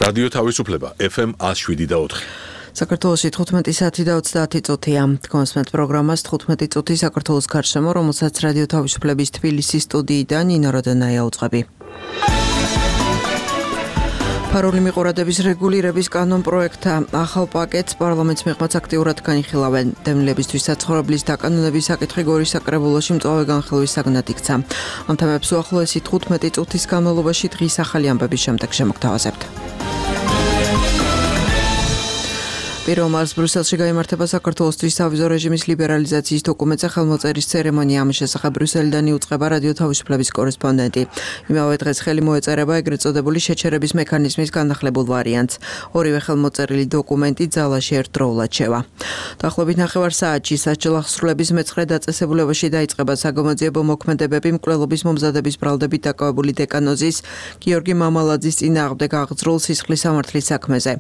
რადიო თავისუფლება FM 107.4. საქართველოში 15 საათი და 30 წუთია. კონსმეთ პროგრამას 15 წუთი საქართველოს გარშემო, რომელსაც რადიო თავისუფლების თბილისის სტუდიიდან ნინო როდენაია უძღვები. ფარული მიყურადების რეგულირების კანონ პროექტა ახალ პაკეტს პარლამენტის მიღმაც აქტიურად განიხილავენ. დევნილებისთვის საცხოვრებლის დაკანონების საკითხი გორის საკრებულოში მწვავე განხილვის საგნად იქცა. ამ თემებს უახლოესი 15 წუთის განმავლობაში დღის ახალი ამბების შემდეგ შემოგთავაზებთ. პირველ მარტს ბრიუსელში გაიმართება საქართველოსთვის სავიზო რეჟიმის ლიბერალიზაციის დოკუმენტზე ხელმოწერის ცერემონია. ამის შესახებ ბრიუსელიდან იუწყება რადიო თავისუფლების კორესპონდენტი. იმავე დღეს ხელი მოეწერება ეგრეთ წოდებული შეჩერების მექანიზმის განახლებულ ვარიანტს. ორივე ხელმოწერილი დოკუმენტი ძალაში ერთდროულად შევა. დაახლოებით 9 საათში სასჯელ აღსრულების მეცხრე დაწესებულებაში დაიწყება საგამოძიებო მოქმედებები მკვლელობის მომზადების ბრალდებით დაკავებული დეკანოზის გიორგი მამალაძის წინააღმდეგ აღძრულ სისხლის სამართლის საქმეზე.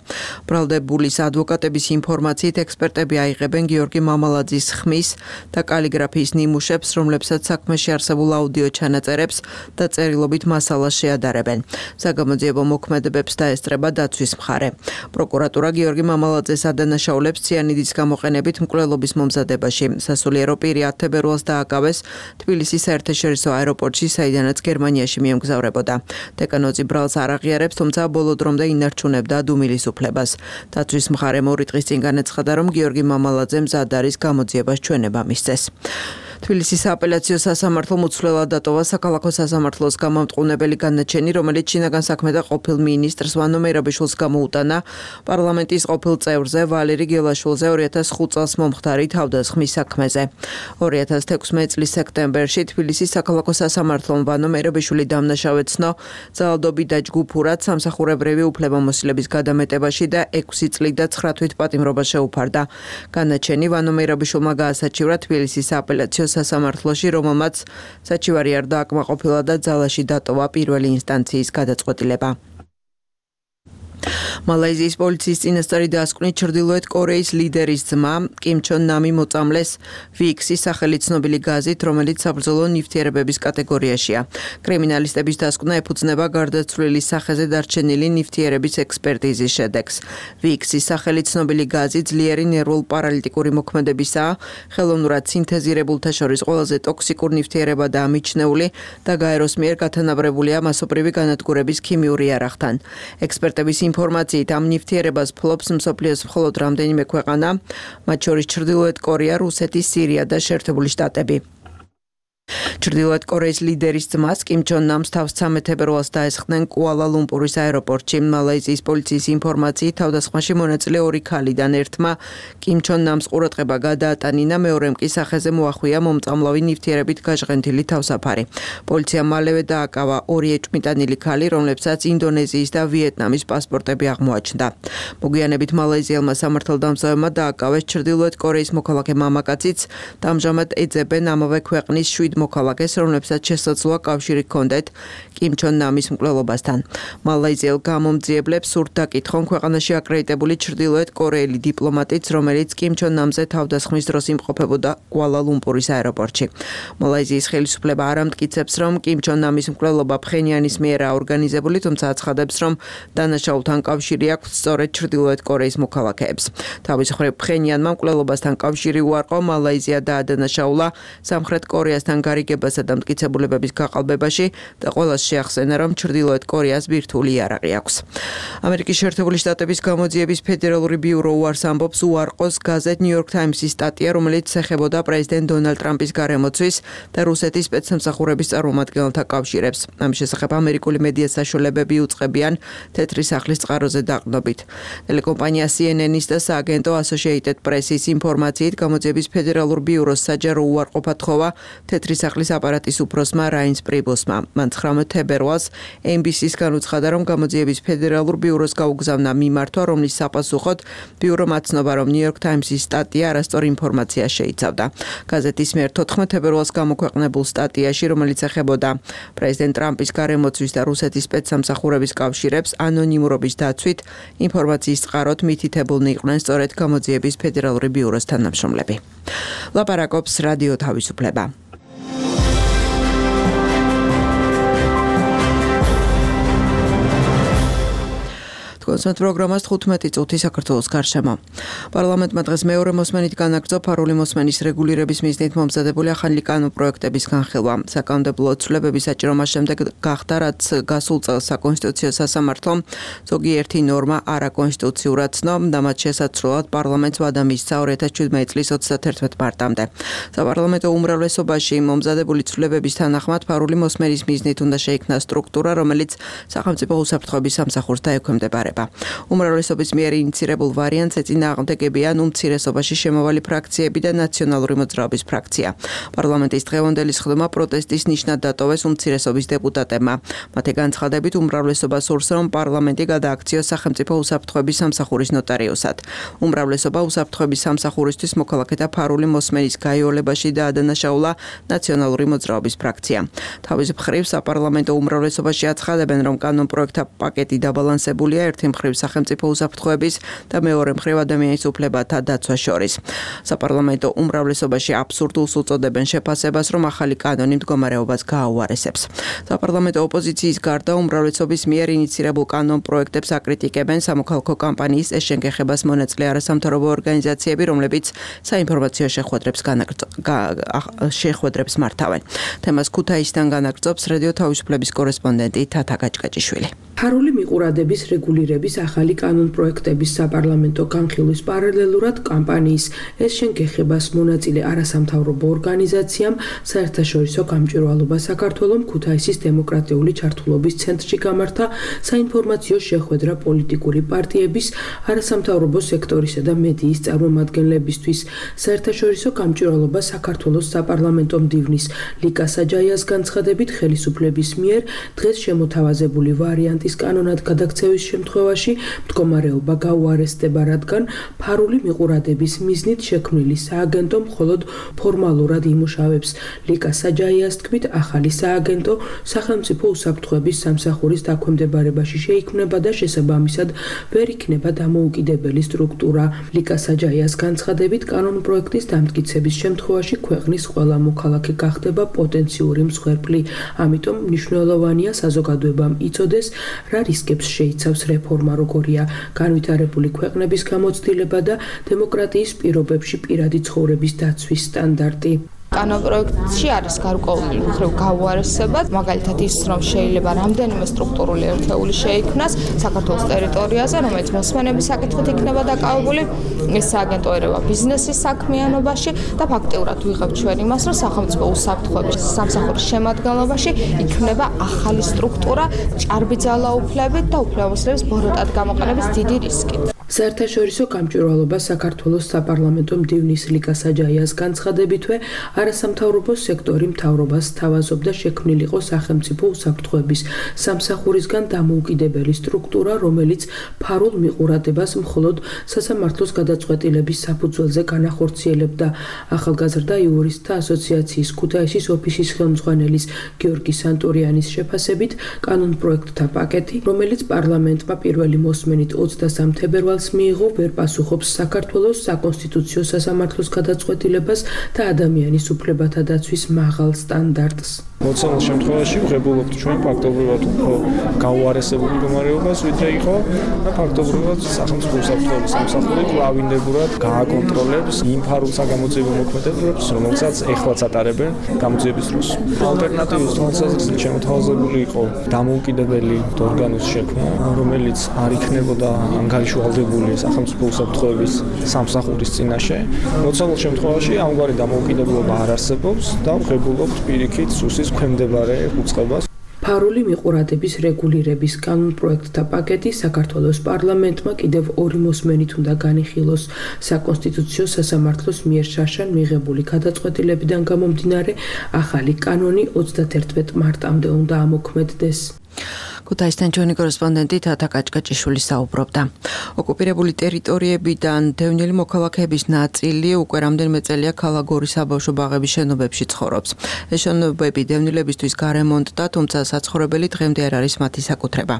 ბრალდებულის ადვოკატების ინფორმაციით ექსპერტები აიღებენ გიორგი მამალაძის ხმის და კალიგრაფიის ნიმუშებს, რომლებსაც საქმეში არსებულ აუდიო ჩანაწერებს და წერილობით მასალას შეადარებენ. საგამოძიებო მოქმედებებს დაესწრება დაცვის მხარე. პროკურატურა გიორგი მამალაძეს ადანაშაულებს ციანიდის გამოყენებით მკვლელობის მომზადებაში. სასულიერო პირი 10 თებერვალს დააკავეს თბილისის საერთაშორისო აეროპორტში, საიდანაც გერმანიაში მიემგზავრებოდა. დეკანოზი ბრალს არ აღიარებს, თუმცა ბოლო დრომდე ინარჩუნებდა დუმილის უფლებას. დაცვის მხარემ 2 დღის წინ განაცხადა, რომ გიორგი მამალაძე მზად არის გამოძიებას ჩვენება მისცეს. თბილისის სააპელაციო სასამართლო მუცვლელად დატოვა საქალაქო სასამართლოს გამამტყუნებელი განაჩენი, რომელიც შინაგან საქმეთა ყოფილ მინისტრს ვანო მერაბიშვილს გამოუტანა პარლამენტის ყოფილ წევრზე ვალერი გელაშვილზე 2005 წელს მომხდარი თავდასხმის საქმეზე. 2016 წლის სექტემბერში თბილისის საქალაქო სასამართლომ ვანო მერაბიშვილი დამნაშავედ ცნო ძალადობით და ჯგუფურად სამსახურებრივი უფლებამოსილების გადამეტებაში და 6 წლით და 9 თვით პატიმრობა შეუფარდა. განაჩენი ვანო მერაბიშვილმა გაასაჩივრა თბილისის სააპელაციო სასამართლოში, რომელმაც საჩივარი არ დააკმაყოფილა და ძალაში დატოვა პირველი ინსტანციის გადაწყვეტილება. მალაიზიის პოლიციის წინასწარი დასკვნით ჩრდილოეთ კორეის ლიდერის ძმა კიმ ჩონ ნამი მოწამლეს ვიქსის სახელით ცნობილი გაზით, რომელიც საბრძოლო ნივთიერებების კატეგორიაშია. კრიმინალისტების დასკვნა ეფუძნება გარდაცვლილი სახეზე დარჩენილი ნივთიერების ექსპერტიზის შედეგს. ვიქსის სახელით ცნობილი გაზი ძლიერი ნერვულ-პარალიტიკური მოქმედებისაა, ხელოვნურად სინთეზირებულთა შორის ყველაზე ტოქსიკურ ნივთიერებადაა მიჩნეული და გაეროს მიერ გათანაბრებულია მასობრივი განადგურების ქიმიური იარაღთან. ექსპერტების ინფორმაციით ამ ნივთიერებას ფლობს მსოფლიოს მხოლოდ რამდენიმე ქვეყანა, მათ შორის ჩრდილოეთ კორეა, რუსეთი, სირია და შეერთებული შტატები. ჩრდილოეთ კორეის ლიდერის ძმას კიმ ჩონ ნამს თავს 13 თებერვალს დაესხდნენ კუალა-ლუმპურის აეროპორტში. მალაიზიის პოლიციის ინფორმაციით თავდასხმაში მონაწილე 2 ქალიდან ერთმა კიმ ჩონ ნამს ყურადღება გადაატანინა, მეორემ კი სახეზე მოახვია მომწამლავი ნივთიერებით გაჟღენთილი თავსაფარი. პოლიციამ მალევე დააკავა 2 ეჭვმიტანილი ქალი, რომლებსაც ინდონეზიის და ვიეტნამის პასპორტები აღმოაჩნდა. მოგვიანებით მალაიზიელმა სამართალდამცავებმა დააკავეს ჩრდილოეთ კორეის მოქალაქე მამაკაციც და ამჟამად ეძებენ ამავე ქვეყნის 7 მოქალაქეს, რომლებსაც შესაძლოა კავშირი ჰქონდეთ კიმ ჩონ ნამის მკვლელობასთან. მალაიზიელ გამომძიებლებს სურთ დაკითხონ ქვეყანაში აკრედიტებული ჩრდილოეთ კორეელი დიპლომატიც, რომელიც კიმ ჩონ ნამზე თავდასხმის დროს იმყოფებოდა კუალა-ლუმპურის აეროპორტში. მალაიზიის ხელისუფლება არ ამტკიცებს, რომ კიმ ჩონ ნამის მკვლელობა ფხენიანის მიერაა ორგანიზებული, თუმცა აცხადებს, რომ დანაშაულთან კავშირი აქვს სწორედ ჩრდილოეთ კორეის მოქალაქეებს. თავის მხრივ ფხენიანმა მკვლელობასთან კავშირი უარყო, მალაიზია დაადანაშაულა სამხრეთ კორეასთან გარიგებასა და მტკიცებულებების გაყალბებაში და ყველას შეახსენა, რომ ჩრდილოეთ კორეას ბირთვული იარაღი აქვს. ამერიკის შეერთებული შტატების გამოძიების ფედერალური ბიურო უარს ამბობს უარყოს გაზეთ New York Times-ის სტატია, რომელიც ეხებოდა პრეზიდენტ დონალდ ტრამპის გარემოცვის და რუსეთის სპეცსამსახურების წარმომადგენელთა კავშირებს. ამ შესახებ ამერიკული მედია საშუალებები უწყებიან თეთრი სახლის წყაროზე დაყრდნობით. ტელეკომპანია CNN-ის და სააგენტო Associated Press-ის ინფორმაციით გამოძიების ფედერალურ ბიუროს საჯარო უარყოფა თხოვა თეთრი სახლის აპარატის უფროსმა რაინს პრიბოსმა. მან 19 თებერვალს NBC-ს განუცხადა, რომ გამოძიების ფედერალურ ბიუროს გაუგზავნა მიმართვა, რომლის საპასუხოდ ბიურომ აცნობა, რომ New York Times-ის სტატია არასწორ ინფორმაციას შეიცავდა. გაზეთის მიერ 14 თებერვალს გამოქვეყნებულ სტატიაში, რომელიც ეხებოდა პრეზიდენტ ტრამპის გარემოცვის და რუსეთის სპეცსამსახურების კავშირებს, ანონიმურობის დაცვით ინფორმაციის წყაროთ მითითებულნი იყვნენ სწორედ გამოძიების ფედერალური ბიუროს თანამშრომლები. ლაპარაკობს რადიო თავისუფლება. კონსერტ პროგრამას 15 წუთი საქართველოს გარშემო. პარლამენტმა დღეს მეორე მოსმენით განაგრძო ფარული მოსმენის რეგულირების მიზნით მომზადებული ახალი კანონპროექტების განხილვა. საკანონმდებლო ცვლილებების საჭიროების შემდეგ გახდა, რაც გასულ წელს საკონსტიტუციო სასამართლომ ზოგიერთი ნორმა არაკონსტიტუციურად ცნო და მათ შესაძლოა პარლამენტს ვადა მისცა 2017 წლის 31 მარტამდე. საპარლამენტო უმრავლესობაში მომზადებული ცვლილებების თანახმად ფარული მოსმენის მიზნით უნდა შეიქმნა სტრუქტურა, რომელიც სახელმწიფო უსაფრთხოების სამსახურს დაექვემდებარება. უმრავლესობის მიერ ინიცირებულ ვარიანტს ეწინააღმდეგებიან უმცირესობაში შემავალი ფრაქციები და ნაციონალური მოძრაობის ფრაქცია. პარლამენტის დღევანდელი სხდომა პროტესტის ნიშნად დატოვეს უმცირესობის დეპუტატებმა. მათი განცხადებით უმრავლესობა სურს, რომ პარლამენტი გადააქციოს სახელმწიფო უსაფრთხოების სამსახურის ნოტარიუსად. უმრავლესობა უსაფრთხოების სამსახურისთვის მოქალაქეთა ფარული მოსმენის გაიოლებაში დაადანაშაულა ნაციონალური მოძრაობის ფრაქცია. თავის მხრივ საპარლამენტო უმრავლესობაში აცხადებენ, რომ კანონპროექტთა პაკეტი დაბალანსებულია ერთი მხრივ სახელმწიფო უსაფრთხოების და მეორე მხრივ ადამიანის უფლებათა დაცვას შორის. საპარლამენტო უმრავლესობაში აბსურდულს უწოდებენ შეფასებას, რომ ახალი კანონი მდგომარეობას გააუარესებს. საპარლამენტო ოპოზიციის გარდა უმრავლესობის მიერ ინიცირებულ კანონპროექტებს აკრიტიკებენ სამოქალაქო კამპანიის ეს შენგეხებას მონაწილე არასამთავრობო ორგანიზაციები, რომლებიც საინფორმაციო შეხვედრებს მართავენ. თემას ქუთაისიდან განაგრძობს რადიო თავისუფლების კორესპონდენტი თათა გაჭკაჭიშვილი. ფარული მიყურადების რეგულირების ახალი კანონპროექტების საპარლამენტო განხილვის პარალელურად კამპანიის ეს შენგეხებას მონაწილე არასამთავრობო ორგანიზაციამ საერთაშორისო გამჭვირვალობა საქართველოს ქუთაისის დემოკრატიული ჩართულობის ცენტრში გამართა საინფორმაციო შეხვედრა პოლიტიკური პარტიების, არასამთავრობო სექტორისა და მედიის წარმომადგენლებისთვის. საერთაშორისო გამჭვირვალობა საქართველოს საპარლამენტო მდივნის ლიკა საჯაიას განცხადებით ხელისუფლების მიერ დღეს შემოთავაზებული ვარიანტის კანონად გადაქცევის შემთხვევაში მდგომარეობა გაუარესდება, რადგან ფარული მიყურადების მიზნით შექმნილი სააგენტო მხოლოდ ფორმალურად იმუშავებს. ლიკა საჯაიას თქმით, ახალი სააგენტო სახელმწიფო უსაფრთხოების სამსახურის დაქვემდებარებაში შეიქმნება და შესაბამისად ვერ იქნება დამოუკიდებელი სტრუქტურა. ლიკა საჯაიას განცხადებით, კანონპროექტის დამტკიცების შემთხვევაში ქვეყნის ყველა მოქალაქე გახდება პოტენციური მსხვერპლი. ამიტომ მნიშვნელოვანია საზოგადოებამ იცოდეს, რა რისკებს შეიცავს რეფორმა, როგორია განვითარებული ქვეყნების გამოცდილება და დემოკრატიის პირობებში პირადი ცხოვრების დაცვის სტანდარტი. კანონპროექტში არის გარკვეული მხრივ გაუარესება, მაგალითად ის, რომ შეიძლება რამდენიმე სტრუქტურული ერთეული შეიქმნას საქართველოს ტერიტორიაზე, რომელიც მოსმენების საკითხით იქნება დაკავებული, ეს სააგენტო ერევა ბიზნესის საქმიანობაში და ფაქტიურად ვიღებთ ჩვენ იმას, რომ სახელმწიფო უსაფრთხოების სამსახურის შემადგენლობაში იქნება ახალი სტრუქტურა ჭარბი ძალაუფლებით და უფლებამოსილების ბოროტად გამოყენების დიდი რისკით. საერთაშორისო გამჭვირვალობა საქართველოს საპარლამენტო მდივნის ლიკა საჯაიას განცხადებითვე არასამთავრობო სექტორი მთავრობას სთავაზობდა შექმნილიყო სახელმწიფო უსაფრთხოების სამსახურისგან დამოუკიდებელი სტრუქტურა, რომელიც ფარულ მიყურადებას მხოლოდ სასამართლოს გადაწყვეტილების საფუძველზე განახორციელებდა. ახალგაზრდა იურისტთა ასოციაციის ქუთაისის ოფისის ხელმძღვანელის გიორგი სანტურიანის შეფასებით, კანონპროექტთა პაკეტი, რომელიც პარლამენტმა პირველი მოსმენით 23 თებერვალს მიიღო, ვერ პასუხობს საქართველოს საკონსტიტუციო სასამართლოს გადაწყვეტილებას და ადამიანის უფლებათა დაცვის მაღალ სტანდარტს. მოცემულ შემთხვევაში ვღებულობთ ჩვენ ფაქტობრივად უფრო გაუარესებული მდგომარეობას, ვიდრე იყო და ფაქტობრივად სახელმწიფო უსაფრთხოების სამსახური კვლავინდებურად გააკონტროლებს იმ ფარულ საგამოძიებო მოქმედებებს, რომელსაც ეხლაც ატარებენ გამოძიების დროს. ალტერნატივის თვალსაზრისით შემოთავაზებული იყო დამოუკიდებელი ორგანოს შექმნა, რომელიც არ იქნებოდა ანგარიშვალდებული სახელმწიფო უსაფრთხოების სამსახურის წინაშე. მოცემულ შემთხვევაში ამგვარი დამოუკიდებლობა არ არსებობს და ვღებულობთ პირიქით სუსის ქვემდებარე უწყებას. ფარული მიყურადების რეგულირების კანონპროექტთა პაკეტი საქართველოს პარლამენტმა კიდევ ორი მოსმენით უნდა განიხილოს. საკონსტიტუციო სასამართლოს მიერ შარშან მიღებული გადაწყვეტილებიდან გამომდინარე, ახალი კანონი 31 მარტამდე უნდა ამოქმედდეს. ქუთაისთან ჩვენი კორესპონდენტი თათა გაჭკაჭიშვილი საუბრობდა. ოკუპირებული ტერიტორიებიდან დევნილი მოქალაქეების ნაწილი უკვე რამდენიმე წელია ქალაქ გორის საბავშვო ბაღების შენობებში ცხოვრობს. ეს შენობები დევნილებისთვის გარემონტდა, თუმცა საცხოვრებელი დღემდე არ არის მათი საკუთრება.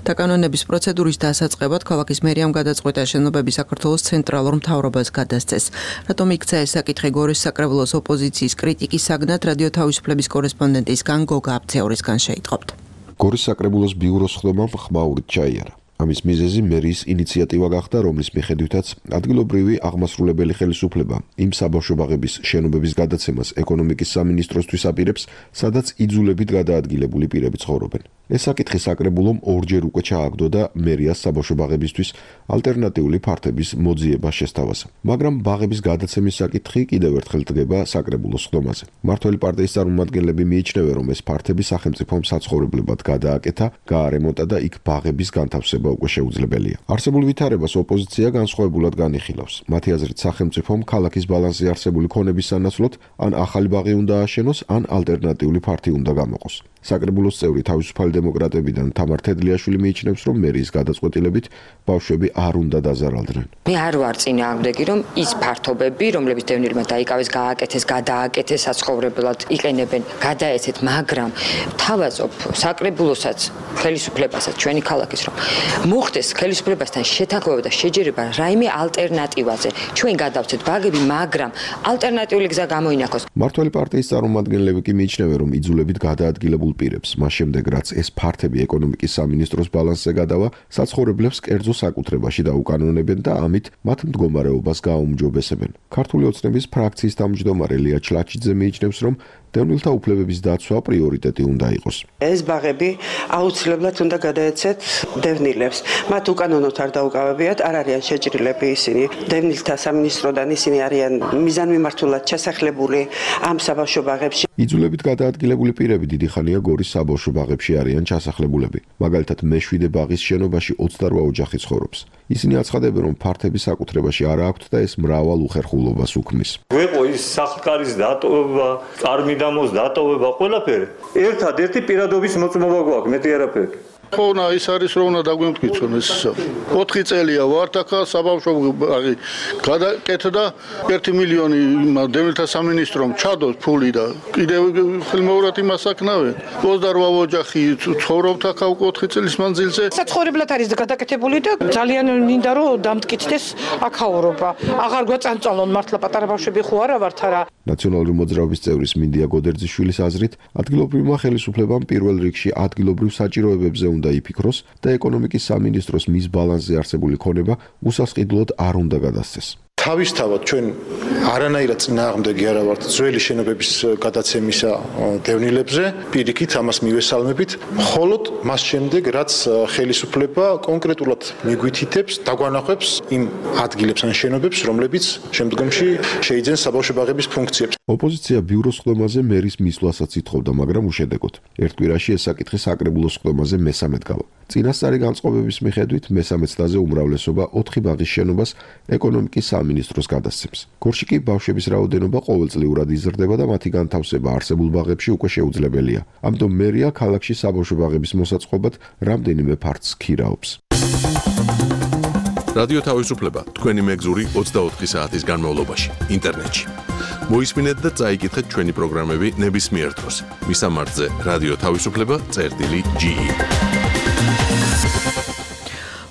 დაკანონების პროცედურის დასაწყებად ქალაქის მერიამ გადაწყვიტა შენობები საქართველოს ცენტრალურ მთავრობას გადასცეს. რატომ იქცა ეს საკითხი გორის საკრებულოს ოპოზიციის კრიტიკის საგნად რადიო თავისუფლების კორესპონდენტისგან გოგა აბცეურისგან შეიტყობთ. გორის საკრებულოს ბიუროს ხდომამ ხმაურით ჩაიარა. ამის მიზეზი მერიის ინიციატივა გახდა, რომლის მიხედვითაც ადგილობრივი აღმასრულებელი ხელისუფლება იმ საბავშვო ბაღების შენობების გადაცემას ეკონომიკის სამინისტროსთვის აპირებს, სადაც იძულებით გადაადგილებული პირები ცხოვრობენ. ეს საკითხი საკრებულომ ორჯერ უკვე ჩააგდო და მერიას საბავშვო ბაღებისთვის ალტერნატიული ფართების მოძიება შესთავაზა. მაგრამ ბაღების გადაცემის საკითხი კიდევ ერთხელ დგება საკრებულოს ხდომაზე. მმართველი პარტიის წარმომადგენლები მიიჩნევენ, რომ ეს ფართები სახელმწიფომ საცხოვრებლებად გადააკეთა, გაარემონტა და იქ ბაღების განთავსება უკვე შეუძლებელია. არსებულ ვითარებას ოპოზიცია განსხვავებულად განიხილავს. მათი აზრით, სახელმწიფომ ქალაქის ბალანსზე არსებული ქონების სანაცვლოდ ან ახალი ბაღი უნდა ააშენოს, ან ალტერნატიული ფართი უნდა გამოყოს. საკრებულოს წევრი თავისუფალი დემოკრატებიდან თამარ თედლიაშვილი მიიჩნევს, რომ მერიის გადაწყვეტილებით ბავშვები არ უნდა დაზარალდნენ. მე არ ვარ წინააღმდეგი, რომ ის ფართობები, რომლებიც დევნილმა დაიკავეს, გააკეთეს, გადააკეთეს საცხოვრებლად იყენებენ, გადაეცეთ, მაგრამ თავაზობ საკრებულოსაც, ხელისუფლებასაც, ჩვენი ქალაქის რომ მოხდეს ხელისუფლებასთან შეთანხმება და შეჯერება რაიმე ალტერნატივაზე. ჩვენ გადავცეთ ბაღები, მაგრამ ალტერნატიული გზა გამოინახოს. მმართველი პარტიის წარმომადგენლები კი მიიჩნევენ, რომ იძულებით გადაადგილებულ პირებს, მას შემდეგ რაც ეს ფართები ეკონომიკის სამინისტროს ბალანსზე გადავა, საცხოვრებლებს კერძო საკუთრებაში დაუკანონებენ და ამით მათ მდგომარეობას გააუმჯობესებენ. ქართული ოცნების ფრაქციის თავმჯდომარე ლია ჩლაჩიძე მიიჩნევს, რომ დევნილთა უფლებების დაცვა პრიორიტეტი უნდა იყოს. ეს ბაღები აუცილებლად უნდა გადაეცეთ დევნილებს. მათ უკანონოდ არ დაუკავებიათ, არ არიან შეჭრილები ისინი. დევნილთა სამინისტროდან ისინი არიან მიზანმიმართულად ჩასახლებული ამ საბავშვო ბაღებში. იძულებით გადაადგილებული პირები დიდი ხანია გორის საბავშვო ბაღებში არიან ჩასახლებულები. მაგალითად, მე-7 ბაღის შენობაში 28 ოჯახი ცხოვრობს. ისინი აცხადებენ, რომ ფართები საკუთრებაში არ აქვთ და ეს მრავალ უხერხულობას უქმნის. გვეყო ის სახლკარის დატოვება, წარმიდამოს დატოვება, ყველაფერი. ერთადერთი პირადობის მოწმობა გვაქვს, მეტი არაფერი. ხონა ის არის რომ უნდა დაგვიმტკიცონ ეს 4 წელია ვართ ახლა საბავშვო ბაღი გადაკეთდა 1 მილიონი დევნილთა სამინისტრომ ჩადოს ფული და კიდევ ხელმეორად იმას აკნავენ 28 ოჯახი ცხოვრობთ ახლა 4 წლის მანძილზე საცხოვრებლად არის გადაკეთებული და ძალიან მინდა რომ დამტკიცდეს აქაურობა აღარ გვაწანწალონ მართლა პატარა ბავშვები ხო არა ვართ არა ნაციონალური მოძრაობის წევრის მინდია გოდერძიშვილის აზრით ადგილობრივმა ხელისუფლებამ პირველ რიგში ადგილობრივ საჭიროებებზე უნდა იფიქროს და ეკონომიკის სამინისტროს მის ბალანსზე არსებული ქონება უსასყიდლოდ არ უნდა გადასცეს. თავისთავად ჩვენ არანაირად წინააღმდეგი არა ვართ ძველი შენობების გადაცემისა დევნილებზე, პირიქით ამას მივესალმებით, მხოლოდ მას შემდეგ რაც ხელისუფლება კონკრეტულად მიგვითითებს, დაგვანახებს იმ ადგილებს ან შენობებს, რომლებიც შემდგომში შეიძენს საბავშვო ბაღების ფუნქციებს. ოპოზიცია ბიუროს ხდომაზე მერის მისვლასაც ითხოვდა, მაგრამ უშედეგოდ. ერთ კვირაში ეს საკითხი საკრებულოს ხდომაზე მესამედ გავა. წინასწარი განწყობების მიხედვით მესამე წლაზე უმრავლესობა 4 ბაღის შენობას ეკონომიკის სამინისტროს გადასცემს. გორში კი ბავშვების რაოდენობა ყოველწლიურად იზრდება და მათი განთავსება არსებულ ბაღებში უკვე შეუძლებელია. ამიტომ მერია ქალაქში საბავშვო ბაღების მოსაწყობად რამდენიმე ფართს ქირაობს. რადიო თავისუფლება თქვენი მეგზური 24 საათის განმავლობაში ინტერნეტში. მოისმინეთ და წაიკითხეთ ჩვენი პროგრამები ნებისმიერ დროს. მისამართზე რადიო თავისუფლება.ge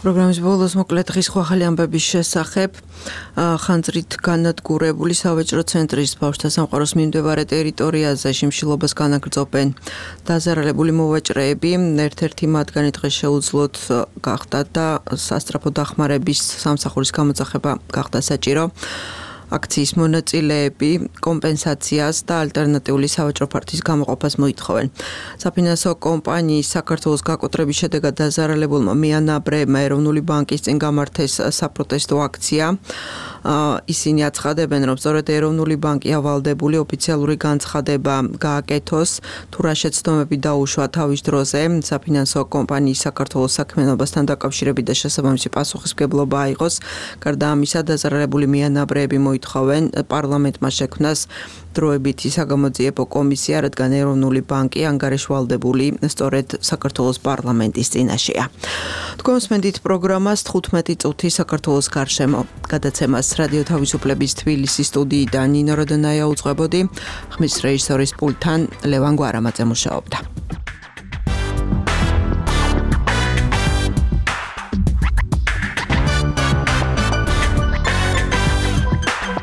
პროგრამის ბოლოს მოკლედ დღის ახალი ამბების შესახებ ხანძრით განადგურებული სავაჭრო ცენტრის ბავშვთა სამყაროს მიმდებარე ტერიტორიაზე შიმშილობას განაგრძობენ დაზარალებული მოვაჭრეები. ერთ-ერთი მათგანი დღეს შეუძლოდ გახდა და სასწრაფო დახმარების სამსახურის გამოძახება გახდა საჭირო. აქციის მონაწილეები კომპენსაციას და ალტერნატიული სავაჭრო ფართის გამოყოფას მოითხოვენ. საფინანსო კომპანიის საქართველოს გაკოტრების შედეგად დაზარალებულმა მეანაბრეებმა ეროვნული ბანკის წინ გამართეს საპროტესტო აქცია. ისინი აცხადებენ, რომ სწორედ ეროვნული ბანკი ავალდებული ოფიციალური განცხადება გააკეთოს, თუ რა შეცდომები დაუშვა თავის დროზე საფინანსო კომპანიის საქართველოს საქმიანობასთან დაკავშირებით და შესაბამისი პასუხისმგებლობა აიღოს. გარდა ამისა, დაზარალებული მეანაბრეები მოითხოვენ პარლამენტმა შექმნას დროებითი საგამოძიებო კომისია, რადგან ეროვნული ბანკი ანგარიშვალდებული სწორედ საქართველოს პარლამენტის წინაშეა. თქვენ მსმენთ პროგრამას 15 წუთი საქართველოს გარშემო გადაცემას რადიო თავისუფლების თბილისის სტუდიიდან ნინო როდონაია უძღვებოდი. ხმის რეჟისორის პულტთან ლევან გვარამაძე მუშაობდა.